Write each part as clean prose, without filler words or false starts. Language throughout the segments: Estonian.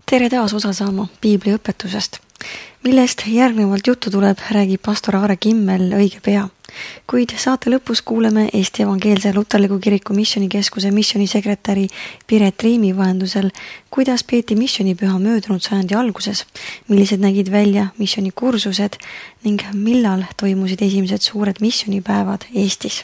Tere taas osa saama Piibli õpetusest. Millest järgnevalt juttu tuleb, räägib pastor Aare Kimmel õige pea. Kuid saate lõpus kuuleme Eesti Evangeelse Luterliku Kiriku Missionikeskuse missionisekretäri Piret Riimi vahendusel, kuidas peeti missionipüha möödunud sajandi alguses, millised nägid välja missionikursused ning millal toimusid esimesed suured missionipäevad Eestis.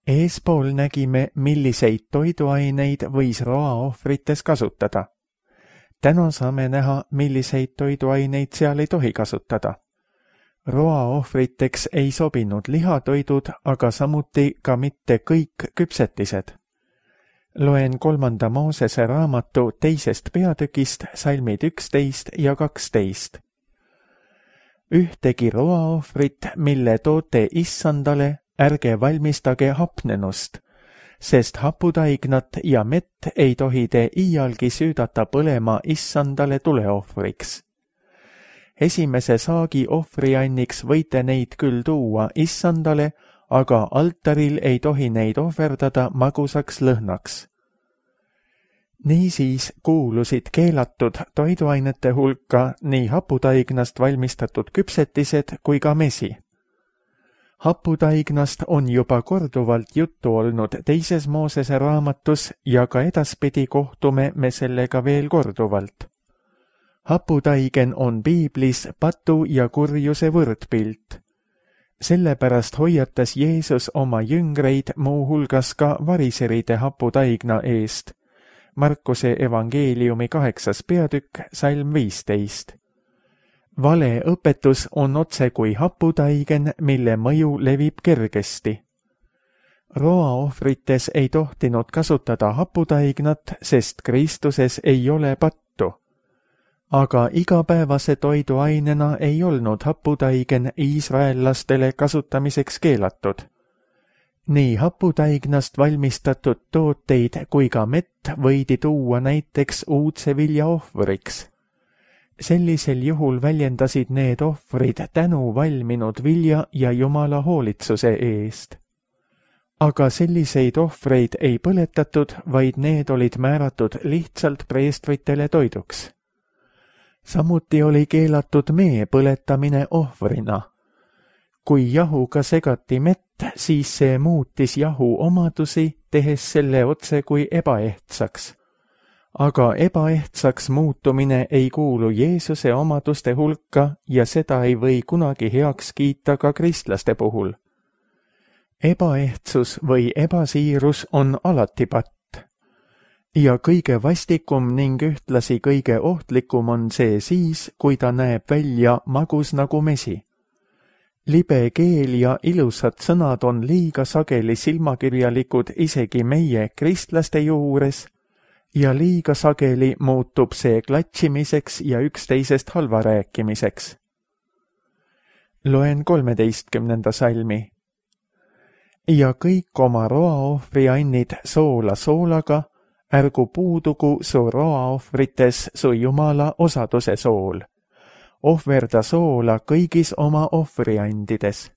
Eespool nägime, milliseid toiduaineid võis roaohvrites kasutada. Täna saame näha, milliseid toiduaineid seal ei tohi kasutada. Roaohvriteks ei sobinud lihatoidud, aga samuti ka mitte kõik küpsetised. Loen 3. Moosese raamatu 2. peatükist salmid 11 ja 12. Ühtegi roaohvrit, mille toote issandale, ärge valmistage hapnenust, sest haputaignat ja mett ei tohi te iialgi süüdata põlema issandale tuleohvriks. Esimese saagi ohvrianniks võite neid küll tuua issandale, aga altaril ei tohi neid ohverdada magusaks lõhnaks. Niisiis kuulusid keelatud toiduainete hulka nii haputaignast valmistatud küpsetised kui ka mesi. Haputaignast on juba korduvalt juttu olnud 2. Moosese raamatus ja ka edaspidi kohtume me sellega veel korduvalt. Haputaigen on Piiblis patu ja kurjuse võrdpilt. Sellepärast hoiatas Jeesus oma jüngreid muu hulgas ka variseride haputaigna eest. Markuse evangeeliumi 8. peatükk, salm 15. Vale õpetus on otse kui haputaigen, mille mõju levib kergesti. Roaohvrites ei tohtinud kasutada haputaignat, sest Kristuses ei ole pattu. Aga igapäevase toiduainena ei olnud haputaigen iisraellastele kasutamiseks keelatud. Nii haputaignast valmistatud tooteid kui ka mett võidi tuua näiteks uudse vilja ohvriks. Sellisel juhul väljendasid need ohvrid tänu valminud vilja ja Jumala hoolitsuse eest. Aga selliseid ohvreid ei põletatud, vaid need olid määratud lihtsalt preestritele toiduks. Samuti oli keelatud mee põletamine ohvrina. Kui jahuga segati mett, siis see muutis jahu omadusi, tehes selle otse kui ebaehtsaks. Aga ebaehtsaks muutumine ei kuulu Jeesuse omaduste hulka ja seda ei või kunagi heaks kiita ka kristlaste puhul. Ebaehtsus või ebasiirus on alati patt. Ja kõige vastikum ning ühtlasi kõige ohtlikum on see siis, kui ta näeb välja magus nagu mesi. Libe keel ja ilusad sõnad on liiga sageli silmakirjalikud isegi meie kristlaste juures, ja liiga sageli muutub see klatšimiseks ja üksteisest halva rääkimiseks. Loen 13. salmi. Ja kõik oma roaohvriannid soola soolaga, ärgu puudugu su roaohvrites su Jumala osaduse sool. Ohverda soola kõigis oma ohvriandides.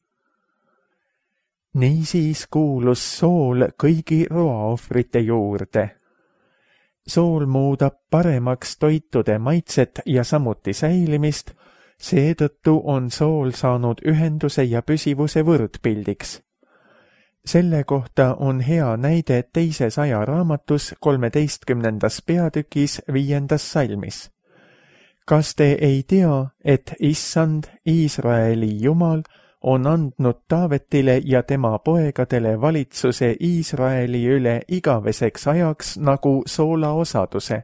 Niisiis kuulus sool kõigi roaohvrite juurde. Sool muudab paremaks toitude maitset ja samuti säilimist, seetõttu on sool saanud ühenduse ja püsivuse võrdpildiks. Selle kohta on hea näide 2. aja raamatus 13. peatükis 5. salmis. Kas te ei tea, et Issand, Iisraeli Jumal, on andnud Taavetile ja tema poegadele valitsuse Iisraeli üle igaveseks ajaks nagu soola osaduse?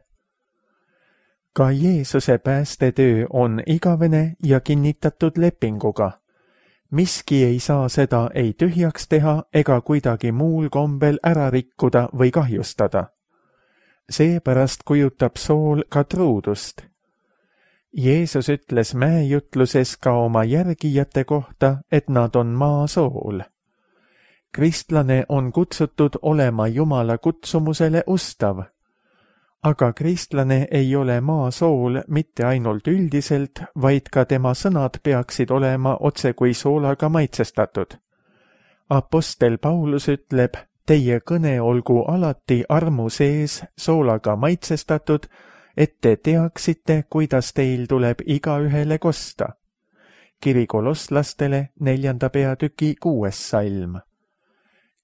Ka Jeesuse päästetöö on igavene ja kinnitatud lepinguga. Miski ei saa seda ei tühjaks teha ega kuidagi muul kombel ära rikkuda või kahjustada. Seepärast kujutab sool ka truudust. Jeesus ütles mäejutluses ka oma järgijate kohta, et nad on maasool. Kristlane on kutsutud olema Jumala kutsumusele ustav. Aga kristlane ei ole maasool mitte ainult üldiselt, vaid ka tema sõnad peaksid olema otse kui soolaga maitsestatud. Apostel Paulus ütleb, teie kõne olgu alati armu sees soolaga maitsestatud, et te teaksite, kuidas teil tuleb igaühele kosta. Kiri kolosslastele 4. peatüki 6. salm.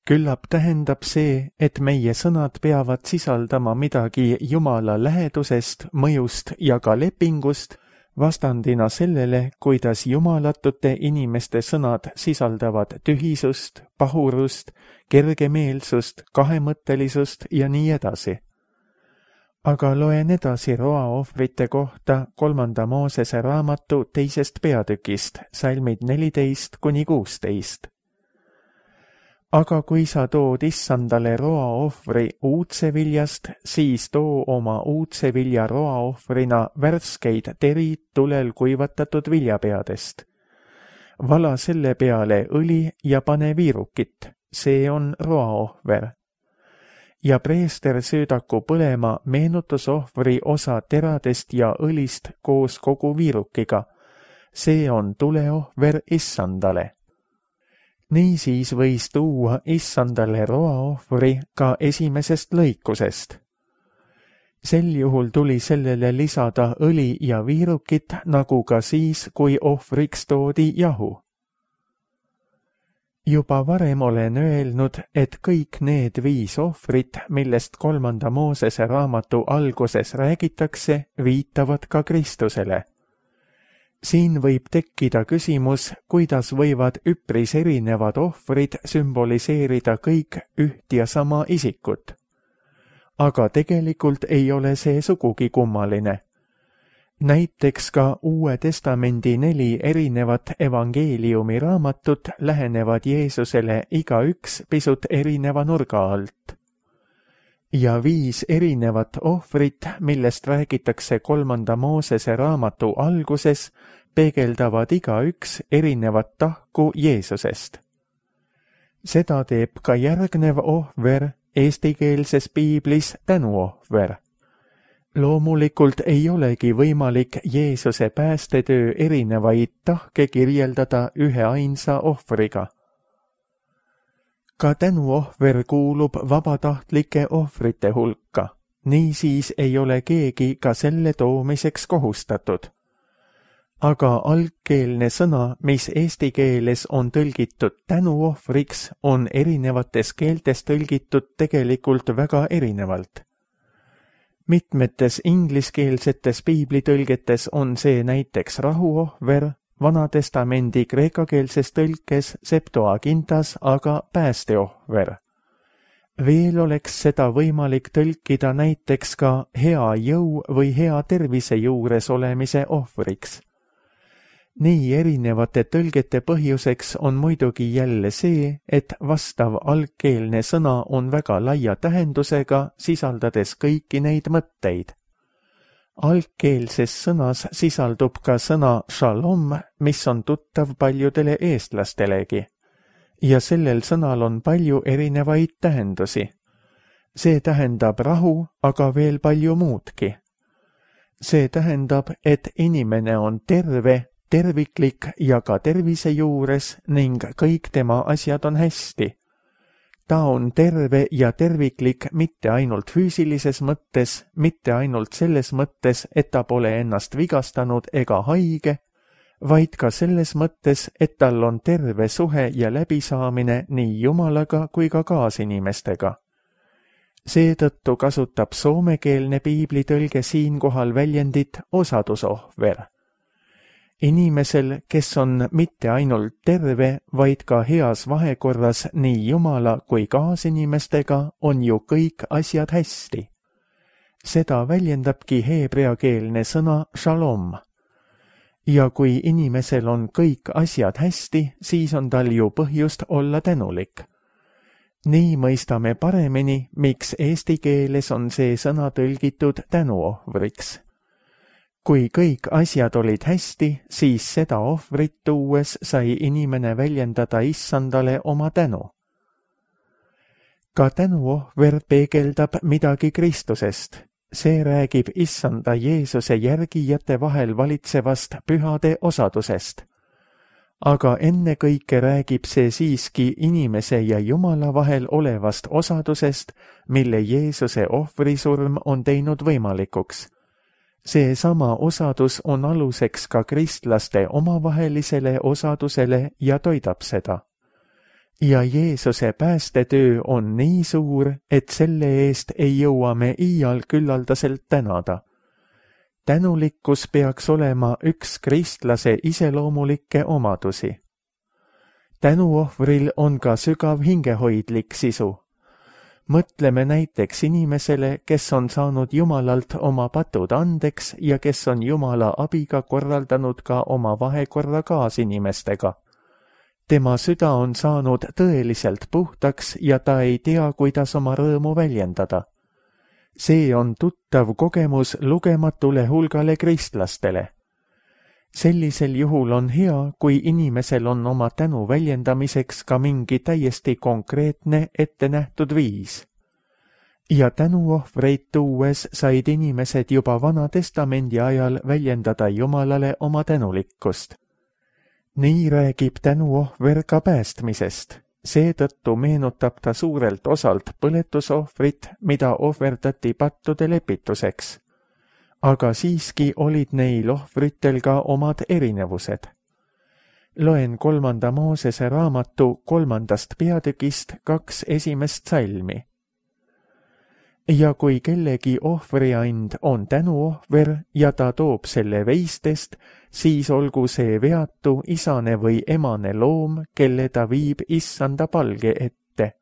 Küllap tähendab see, et meie sõnad peavad sisaldama midagi Jumala lähedusest, mõjust ja ka lepingust, vastandina sellele, kuidas jumalatute inimeste sõnad sisaldavad tühisust, pahurust, kergemeelsust, kahemõttelisust ja nii edasi. Aga loen edasi roaohvrite kohta 3. Moosese raamatu 2. peatükist, salmid 14–16. Aga kui sa tood issandale roaohvri uudseviljast, siis too oma uudsevilja roaohvrina värskeid terid tulel kuivatatud viljapeadest. Vala selle peale õli ja pane viirukit, see on roaohver. Ja preester söödaku põlema meenutusohvri osa teradest ja õlist koos kogu viirukiga, see on tuleohver issandale. Niisiis võis tuua issandale roaohvri ka esimesest lõikusest. Sel juhul tuli sellele lisada õli ja viirukit, nagu ka siis, kui ohvriks toodi jahu. Juba varem olen öelnud, et kõik need 5 ohvrit, millest 3. Moosese raamatu alguses räägitakse, viitavad ka Kristusele. Siin võib tekkida küsimus, kuidas võivad üpris erinevad ohvrid sümboliseerida kõik üht ja sama isikut. Aga tegelikult ei ole see sugugi kummaline. Näiteks ka Uue Testamendi 4 erinevat evangeeliumi raamatut lähenevad Jeesusele igaüks pisut erineva nurga alt. Ja 5 erinevat ohvrit, millest räägitakse 3. Moosese raamatu alguses, peegeldavad igaüks erinevat tahku Jeesusest. Seda teeb ka järgnev ohver, eestikeelses piiblis tänuohver. Loomulikult ei olegi võimalik Jeesuse päästetöö erinevaid tahke kirjeldada üheainsa ohvriga. Ka tänuohver kuulub vabatahtlike ohvrite hulka, niisiis ei ole keegi ka selle toomiseks kohustatud. Aga algkeelne sõna, mis eesti keeles on tõlgitud tänuohvriks, on erinevates keeltes tõlgitud tegelikult väga erinevalt. Mitmetes ingliskeelsetes piiblitõlgetes on see näiteks rahuohver, Vanatestamendi kreekakeelses tõlkes Septuagintas aga päästeohver. Veel oleks seda võimalik tõlkida näiteks ka hea jõu või hea tervise juures olemise ohvriks. Nii erinevate tõlgete põhjuseks on muidugi jälle see, et vastav algkeelne sõna on väga laia tähendusega, sisaldades kõiki neid mõtteid. Algkeelses sõnas sisaldub ka sõna shalom, mis on tuttav paljudele eestlastelegi. Ja sellel sõnal on palju erinevaid tähendusi. See tähendab rahu, aga veel palju muudki. See tähendab, et inimene on terve, terviklik ja ka tervise juures ning kõik tema asjad on hästi. Ta on terve ja terviklik mitte ainult füüsilises mõttes, mitte ainult selles mõttes, et ta pole ennast vigastanud ega haige, vaid ka selles mõttes, et tal on terve suhe ja läbisaamine nii Jumalaga kui ka kaasinimestega. Seetõttu kasutab soomekeelne piiblitõlge siinkohal väljendit osadusohver. Inimesel, kes on mitte ainult terve, vaid ka heas vahekorras nii Jumala kui kaasinimestega, on ju kõik asjad hästi. Seda väljendabki heebreakeelne sõna shalom. Ja kui inimesel on kõik asjad hästi, siis on tal ju põhjust olla tänulik. Nii mõistame paremini, miks eesti keeles on see sõna tõlgitud tänuohvriks. Kui kõik asjad olid hästi, siis seda ohvrit tuues sai inimene väljendada issandale oma tänu. Ka tänuohver peegeldab midagi Kristusest. See räägib issanda Jeesuse järgijate vahel valitsevast pühade osadusest. aga ennekõike räägib see siiski inimese ja Jumala vahel olevast osadusest, mille Jeesuse ohvrisurm on teinud võimalikuks. Seesama osadus on aluseks ka kristlaste omavahelisele osadusele ja toidab seda. Ja Jeesuse päästetöö on nii suur, et selle eest ei jõua me iial küllaldaselt tänada. Tänulikkus peaks olema üks kristlase iseloomulikke omadusi. Tänuohvril on ka sügav hingehoidlik sisu. Mõtleme näiteks inimesele, kes on saanud Jumalalt oma patud andeks ja kes on Jumala abiga korraldanud ka oma vahekorra kaasinimestega. Tema süda on saanud tõeliselt puhtaks ja ta ei tea, kuidas oma rõõmu väljendada. See on tuttav kogemus lugematule hulgale kristlastele. Sellisel juhul on hea, kui inimesel on oma tänu väljendamiseks ka mingi täiesti konkreetne ettenähtud viis. Ja tänuohvreid tuues said inimesed juba Vana Testamendi ajal väljendada Jumalale oma tänulikkust. Nii räägib tänuohver ka päästmisest. Seetõttu meenutab ta suurelt osalt põletusohvrit, mida ohverdati pattude lepituseks. Aga siiski olid neil ohvritel ka omad erinevused. Loen 3. Moosese raamatu 3. peatükist 2 esimest salmi. Ja kui kellegi ohvriand on tänuohver ja ta toob selle veistest, siis olgu see veatu isane või emane loom, kelle ta viib issanda palge ette.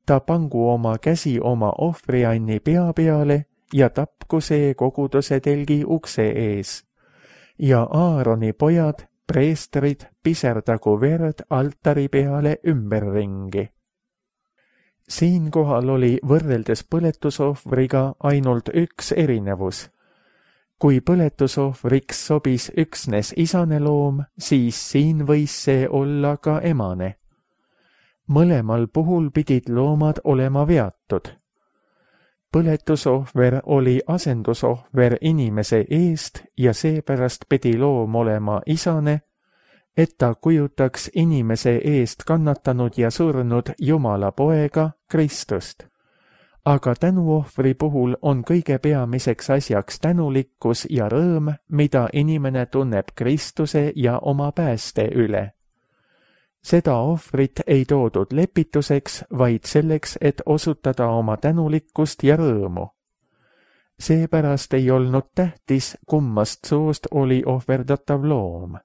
Ta pangu oma käsi oma ohvrianni pea peale ja tapku see koguduse telgi ukse ees. Ja Aaroni pojad, preestrid, piserdagu verd altari peale ümberringi. Siinkohal oli võrreldes põletusohvriga ainult üks erinevus. Kui põletusohvriks sobis üksnes isane loom, siis siin võis see olla ka emane. Mõlemal puhul pidid loomad olema veatud. Põletusohver oli asendusohver inimese eest ja seepärast pidi loom olema isane, et ta kujutaks inimese eest kannatanud ja surnud Jumala poega Kristust. Aga tänuohvri puhul on kõige peamiseks asjaks tänulikkus ja rõõm, mida inimene tunneb Kristuse ja oma pääste üle. Seda ohvrit ei toodud lepituseks, vaid selleks, et osutada oma tänulikkust ja rõõmu. Seepärast ei olnud tähtis, kummast soost oli ohverdatav loom.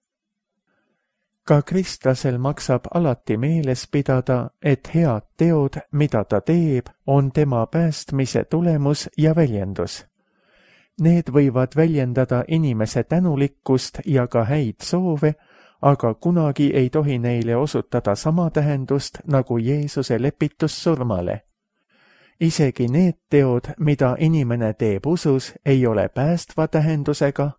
Ka kristlasel maksab alati meeles pidada, et head teod, mida ta teeb, on tema päästmise tulemus ja väljendus. Need võivad väljendada inimese tänulikkust ja ka häid soove, aga kunagi ei tohi neile osutada sama tähendust nagu Jeesuse lepitus surmale. Isegi need teod, mida inimene teeb usus, ei ole päästva tähendusega,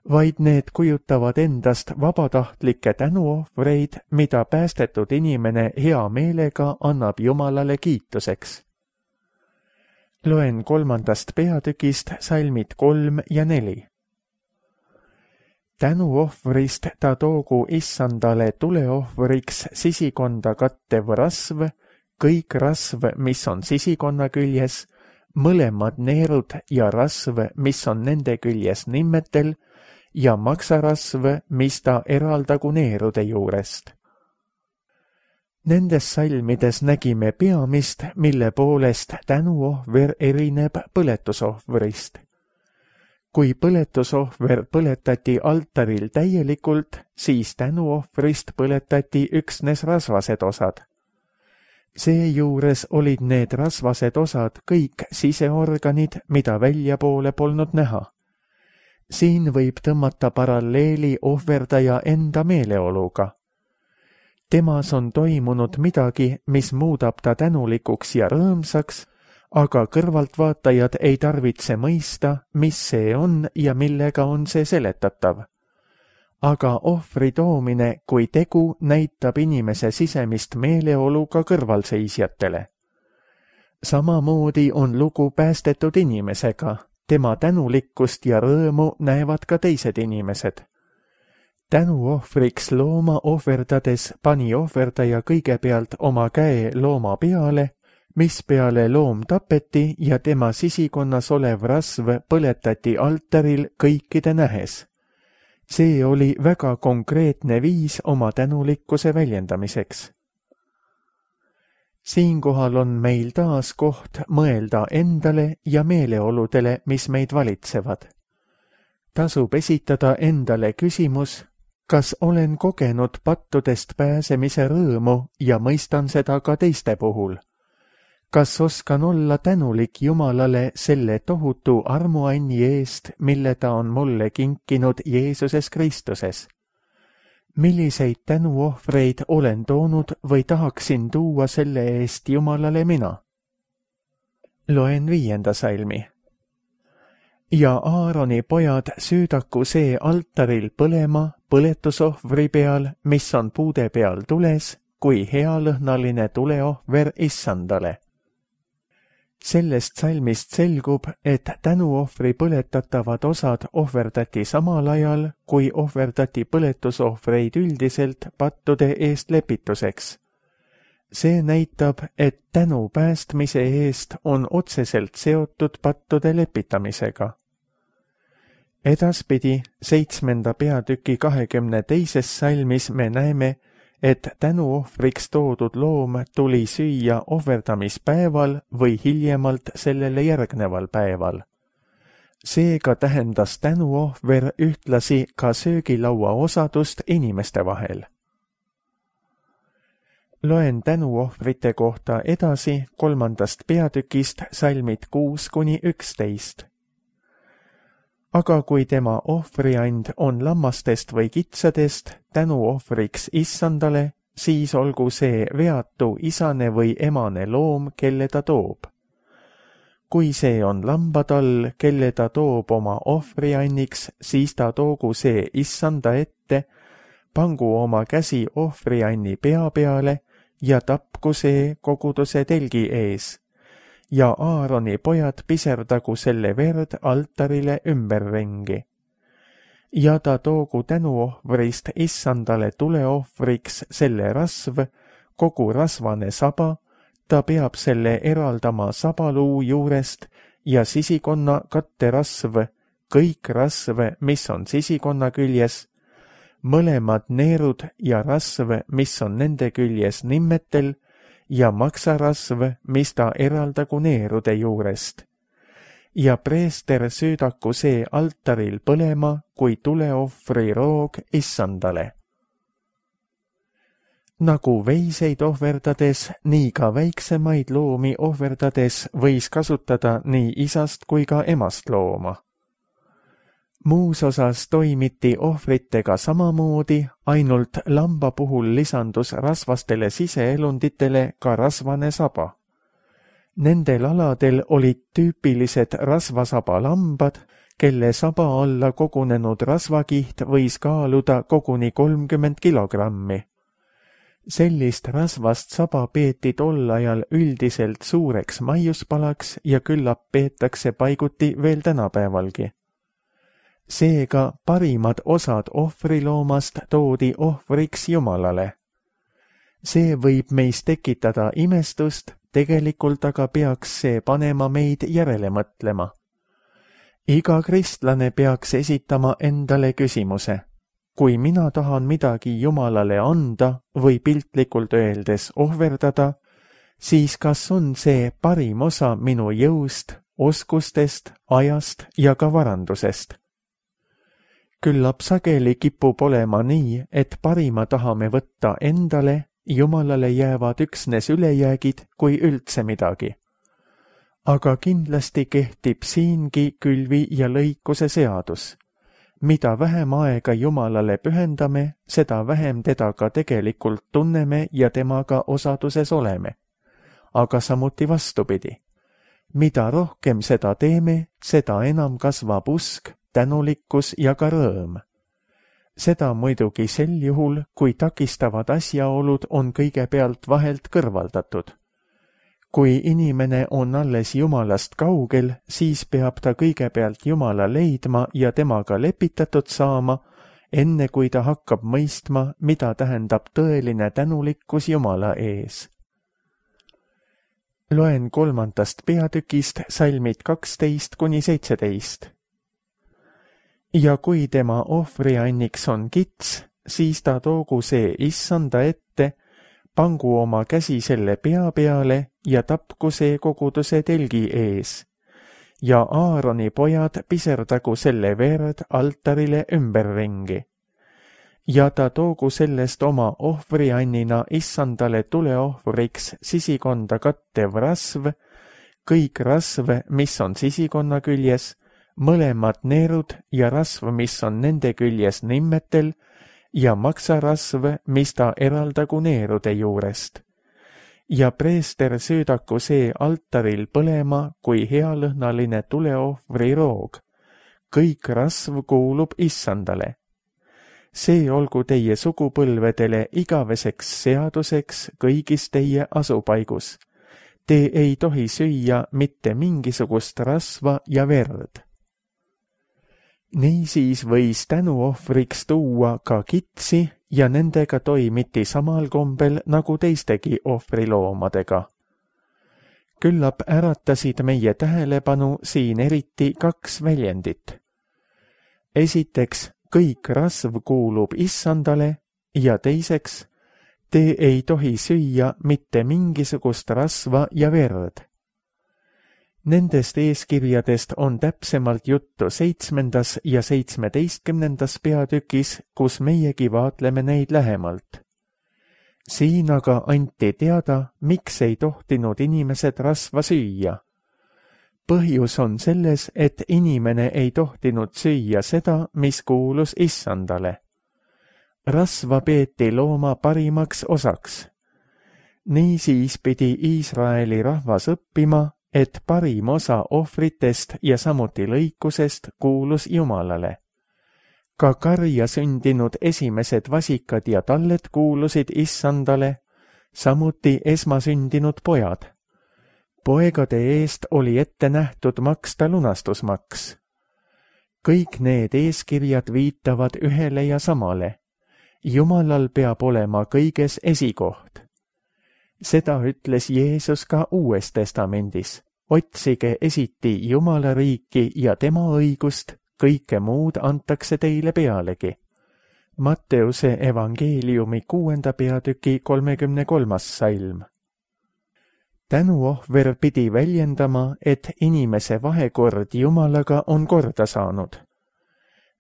vaid need kujutavad endast vabatahtlikke tänuohvreid, mida päästetud inimene hea meelega annab Jumalale kiituseks. Loen 3. peatükist salmid 3 ja 4. Tänuohvrist ta toogu issandale tuleohvriks sisikonda kattev rasv, kõik rasv, mis on sisikonna küljes, mõlemad neerud ja rasv, mis on nende küljes nimmetel, ja maksarasv, mis ta eraldagu neerude juurest. Nendes salmides nägime peamist, mille poolest tänuohver erineb põletusohvrist. Kui põletusohver põletati altaril täielikult, siis tänuohvrist põletati üksnes rasvased osad. Seejuures olid need rasvased osad kõik siseorganid, mida väljapoole polnud näha. Siin võib tõmmata paralleeli ohverdaja enda meeleoluga. Temas on toimunud midagi, mis muudab ta tänulikuks ja rõõmsaks, aga kõrvaltvaatajad ei tarvitse mõista, mis see on ja millega on see seletatav. Aga ohvri toomine kui tegu näitab inimese sisemist meeleolu ka kõrvalseisjatele. Samamoodi on lugu päästetud inimesega. Tema tänulikkust ja rõõmu näevad ka teised inimesed. tänuohvriks looma ohverdades pani ohverdaja kõigepealt oma käe looma peale, mispeale loom tapeti ja tema sisikonnas olev rasv põletati altaril kõikide nähes. See oli väga konkreetne viis oma tänulikkuse väljendamiseks. Siinkohal on meil taas koht mõelda endale ja meeleoludele, mis meid valitsevad. Tasub esitada endale küsimus, kas olen kogenud pattudest pääsemise rõõmu ja mõistan seda ka teiste puhul? Kas oskan olla tänulik Jumalale selle tohutu armuanni eest, mille ta on mulle kinkinud Jeesuses Kristuses? Milliseid tänuohvreid olen toonud või tahaksin tuua selle eest Jumalale mina? Loen 5. salmi. Ja Aaroni pojad süüdaku see altaril põlema põletusohvri peal, mis on puude peal tules, kui healõhnaline tuleohver issandale. Sellest salmist selgub, et tänuohvri põletatavad osad ohverdati samal ajal, kui ohverdati põletusohvreid üldiselt pattude eest lepituseks. See näitab, et tänu päästmise eest on otseselt seotud pattude lepitamisega. Edaspidi 7. peatüki 22. salmis me näeme, et tänuohvriks toodud loom tuli süüa ohverdamispäeval või hiljemalt sellele järgneval päeval. Seega tähendas tänuohver ühtlasi ka söögilaua osadust inimeste vahel. Loen tänuohvrite kohta edasi 3. peatükist salmid 6-11. Aga kui tema ohvriand on lammastest või kitsadest tänuohvriks issandale, siis olgu see veatu isane või emane loom, kelle ta toob. Kui see on lambatall, kelle ta toob oma ohvrianniks, siis ta toogu see issanda ette, pangu oma käsi ohvrianni pea peale ja tapku see koguduse telgi ees. Ja Aaroni pojad piserdagu selle verd altarile ümberringi. Ja ta toogu tänuohvrist issandale tuleohvriks selle rasv, kogu rasvane saba, ta peab selle eraldama sabaluu juurest ja sisikonna katterasv, kõik rasv, mis on sisikonna küljes, mõlemad neerud ja rasv, mis on nende küljes nimmetel, ja maksarasv, mis ta eraldagu neerude juurest. Ja preester süüdaku see altaril põlema kui tuleohvri roog issandale. Nagu veiseid ohverdades, nii ka väiksemaid loomi ohverdades võis kasutada nii isast kui ka emast looma. Muus osas toimiti ohvritega samamoodi, ainult lamba puhul lisandus rasvastele siseelunditele ka rasvane saba. Nendel aladel olid tüüpilised rasvasaba lambad, kelle saba alla kogunenud rasvakiht võis kaaluda koguni 30 kilogrammi. Sellist rasvast saba peeti tol ajal üldiselt suureks maiuspalaks ja küllap peetakse paiguti veel tänapäevalgi. Seega parimad osad ohvriloomast toodi ohvriks Jumalale. See võib meis tekitada imestust, tegelikult aga peaks see panema meid järele mõtlema. Iga kristlane peaks esitama endale küsimuse. Kui mina tahan midagi Jumalale anda või piltlikult öeldes ohverdada, siis kas on see parim osa minu jõust, oskustest, ajast ja ka varandusest? Küllap sageli kipub olema nii, et parima tahame võtta endale, Jumalale jäävad üksnes ülejäägid kui üldse midagi. Aga kindlasti kehtib siingi külvi ja lõikuse seadus. Mida vähem aega Jumalale pühendame, seda vähem teda ka tegelikult tunneme ja temaga osaduses oleme. Aga samuti vastupidi. Mida rohkem seda teeme, seda enam kasvab usk, tänulikkus ja ka rõõm. Seda muidugi sel juhul, kui takistavad asjaolud on kõigepealt vahelt kõrvaldatud. Kui inimene on alles Jumalast kaugel, siis peab ta kõigepealt Jumala leidma ja temaga lepitatud saama, enne kui ta hakkab mõistma, mida tähendab tõeline tänulikkus Jumala ees. Loen 3. peatükist salmid 12–17. Ja kui tema ohvrianniks on kits, siis ta toogu see issanda ette, pangu oma käsi selle pea peale ja tapku see koguduse telgi ees. Ja Aaroni pojad piserdagu selle verd altarile ümberringi. Ja ta toogu sellest oma ohvriannina issandale tuleohvriks sisikonda kattev rasv, kõik rasv, mis on sisikonna küljes, mõlemad neerud ja rasv, mis on nende küljes nimmetel, ja maksarasv, mis ta eraldagu neerude juurest. Ja preester söödaku see altaril põlema kui healõhnaline tuleohvri roog. Kõik rasv kuulub issandale. See olgu teie sugupõlvedele igaveseks seaduseks kõigis teie asupaigus. Te ei tohi süüa mitte mingisugust rasva ja verd. Niisiis võis tänuohvriks tuua ka kitsi ja nendega toimiti samal kombel nagu teistegi ohvriloomadega. Küllap äratasid meie tähelepanu siin eriti 2 väljendit. Esiteks, kõik rasv kuulub issandale ja teiseks, te ei tohi süüa mitte mingisugust rasva ja verd. Nendest eeskirjadest on täpsemalt juttu 7. ja 17. peatükis, kus meiegi vaatleme neid lähemalt. Siin aga anti teada, miks ei tohtinud inimesed rasva süüa. Põhjus on selles, et inimene ei tohtinud süüa seda, mis kuulus issandale. Rasva peeti looma parimaks osaks. Niisiis pidi Iisraeli rahvas õppima, et parim osa ohvritest ja samuti lõikusest kuulus Jumalale. Ka karja sündinud esimesed vasikad ja talled kuulusid issandale, samuti esmasündinud pojad. Poegade eest oli ette nähtud maksta lunastusmaks. Kõik need eeskirjad viitavad ühele ja samale. Jumalal peab olema kõiges esikoht. Seda ütles Jeesus ka Uues Testamendis. Otsige esiti Jumala riiki ja tema õigust, kõike muud antakse teile pealegi. Matteuse evangeeliumi 6. peatüki 33. salm. Tänuohver pidi väljendama, et inimese vahekord Jumalaga on korda saanud.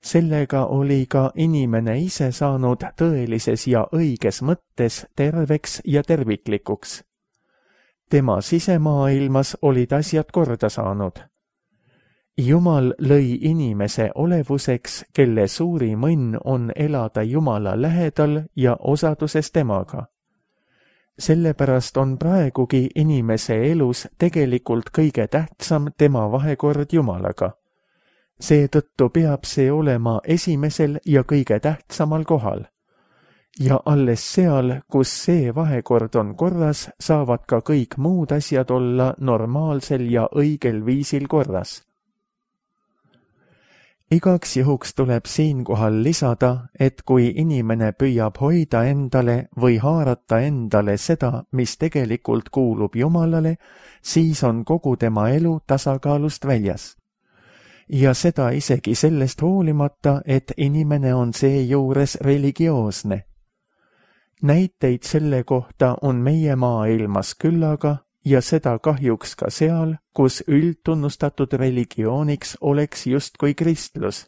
Sellega oli ka inimene ise saanud tõelises ja õiges mõttes terveks ja terviklikuks. Tema sisemaailmas olid asjad korda saanud. Jumal lõi inimese olevuseks, kelle suurim õnn on elada Jumala lähedal ja osaduses temaga. Sellepärast on praegugi inimese elus tegelikult kõige tähtsam tema vahekord Jumalaga. Seetõttu peab see olema esimesel ja kõige tähtsamal kohal. Ja alles seal, kus see vahekord on korras, saavad ka kõik muud asjad olla normaalsel ja õigel viisil korras. Igaks juhuks tuleb siinkohal lisada, et kui inimene püüab hoida endale või haarata endale seda, mis tegelikult kuulub Jumalale, siis on kogu tema elu tasakaalust väljas. Ja seda isegi sellest hoolimata, et inimene on seejuures religioosne. Näiteid selle kohta on meie maailmas küllaga ja seda kahjuks ka seal, kus üldtunnustatud religiooniks oleks justkui kristlus.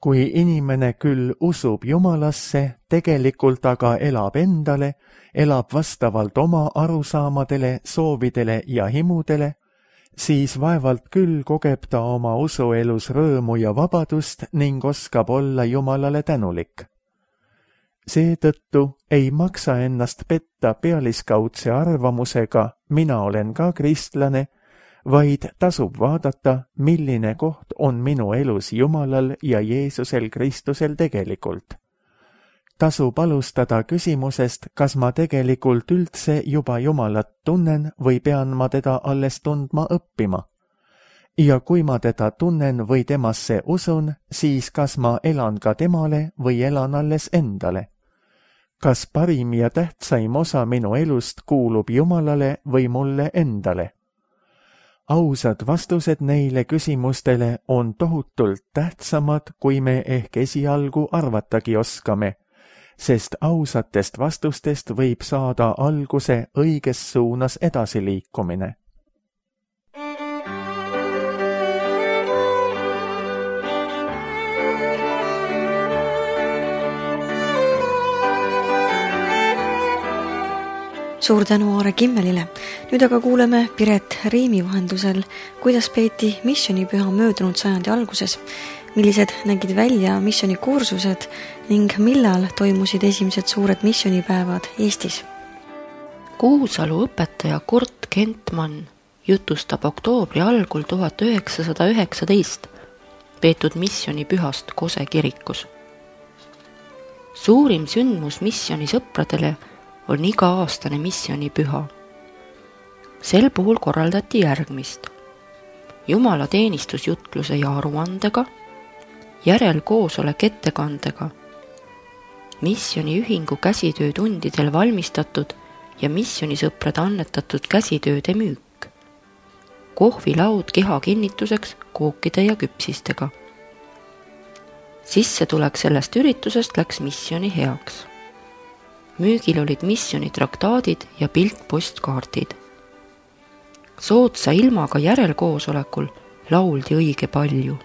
Kui inimene küll usub Jumalasse, tegelikult aga elab endale, elab vastavalt oma arusaamadele, soovidele ja himudele, siis vaevalt küll kogeb ta oma usuelus rõõmu ja vabadust ning oskab olla Jumalale tänulik. Seetõttu ei maksa ennast petta pealiskaudse arvamusega, mina olen ka kristlane, vaid tasub vaadata, milline koht on minu elus Jumalal ja Jeesusel Kristusel tegelikult. Tasub alustada küsimusest, kas ma tegelikult üldse juba Jumalat tunnen või pean ma teda alles tundma õppima. ja kui ma teda tunnen või temasse usun, siis kas ma elan ka temale või elan alles endale? Kas parim ja tähtsaim osa minu elust kuulub Jumalale või mulle endale? Ausad vastused neile küsimustele on tohutult tähtsamad, kui me ehk esialgu arvatagi oskame, sest ausatest vastustest võib saada alguse õiges suunas edasiliikumine. Suur tänu Aare Kimmelile. Nüüd aga kuuleme Piret Riimi vahendusel, kuidas peeti missionipüha möödunud sajandi alguses, millised nägid välja missionikursused ning millal toimusid esimesed suured missionipäevad Eestis. Kuusalu õpetaja Kurt Kentmann jutustab oktoobri algul 1919 peetud missionipühast Kose kirikus. Suurim sündmus missionisõpradele on iga-aastane missionipüha. Sel puhul korraldati järgmist: Jumala teenistusjutluse ja aruandega, järelkoosolek ettekandega, missioniühingu käsitöötundidel valmistatud ja missionisõprade annetatud käsitööde müük, kohvilaud keha kinnituseks kookide ja küpsistega. Sissetulek sellest üritusest läks missioni heaks. Müügil olid missionitraktaadid ja piltpostkaardid. Soodsa ilmaga järelkoosolekul lauldi õige palju.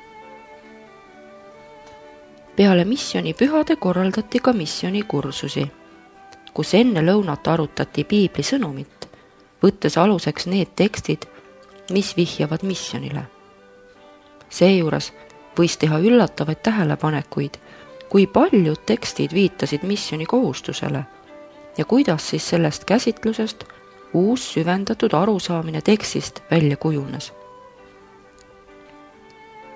Peale missionipühade korraldati ka missionikursusi, kus enne lõunat arutati piibli sõnumit, võttes aluseks need tekstid, mis vihjavad missionile. Seejuures võis teha üllatavaid tähelepanekuid, kui paljud tekstid viitasid missioni kohustusele ja kuidas siis sellest käsitlusest uus süvendatud arusaamine tekstist välja kujunes.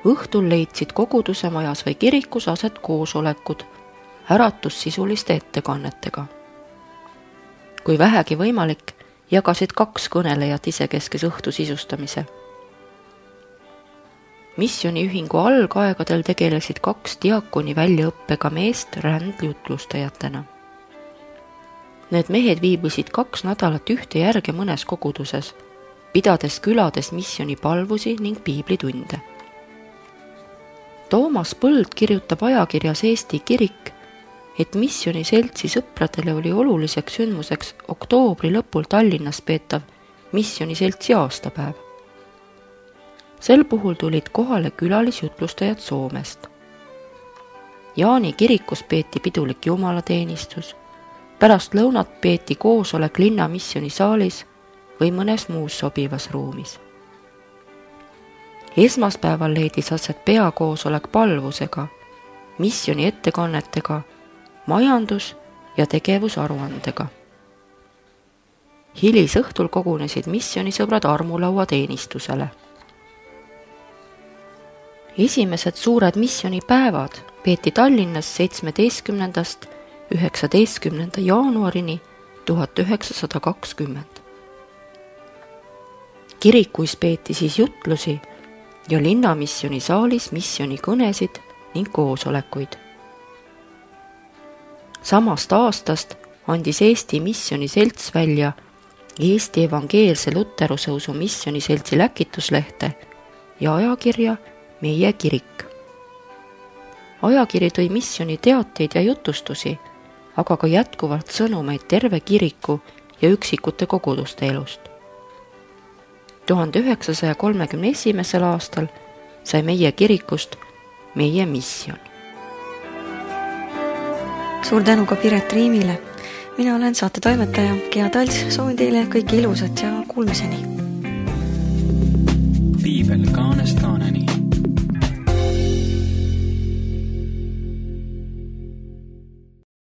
Õhtul leidsid koguduse majas või kirikus aset koosolekud äratussisuliste ettekannetega. Kui vähegi võimalik, jagasid 2 kõnelejat isekeskes õhtu sisustamise. Missioniühingu algaegadel tegelesid 2 diakoni väljaõppega meest rändjutlustajatena. Need mehed viibisid 2 nädalat ühte järge mõnes koguduses, pidades külades missionipalvusi ning piiblitunde. Toomas Põld kirjutab ajakirjas Eesti Kirik, et missioniseltsi sõpradele oli oluliseks sündmuseks oktoobri lõpul Tallinnas peetav missioniseltsi aastapäev. Sel puhul tulid kohale külalisjutlustajad Soomest. Jaani kirikus peeti pidulik jumalateenistus, pärast lõunat peeti koosolek linna missionisaalis või mõnes muus sobivas ruumis. Esmaspäeval leidis aset peakoosolek palvusega, missioni ettekannetega, majandus- ja tegevusaruandega. Hilisõhtul kogunesid missionisõbrad armulaua teenistusele. Esimesed suured missionipäevad peeti Tallinnas 17. 19. jaanuarini 1920. Kirikuis peeti siis jutlusi ja linnamissionisaalis missioni-kõnesid ning koosolekuid. Samast aastast andis Eesti missioniselts välja Eesti Evangeelse Luterusõusu missioniseltsi läkituslehte ja ajakirja Meie kirik. Ajakiri tõi missioni teateid ja jutustusi, aga ka jätkuvalt sõnumeid terve kiriku ja üksikute koguduste elust. 1931. aastal sai Meie kirikust Meie mission. Suur tänu ka Piret Riimile. Mina olen saate toimetaja Gea Talts, soovin teile kõike ilusat ja kuulmiseni. Piibel kaanest kaane.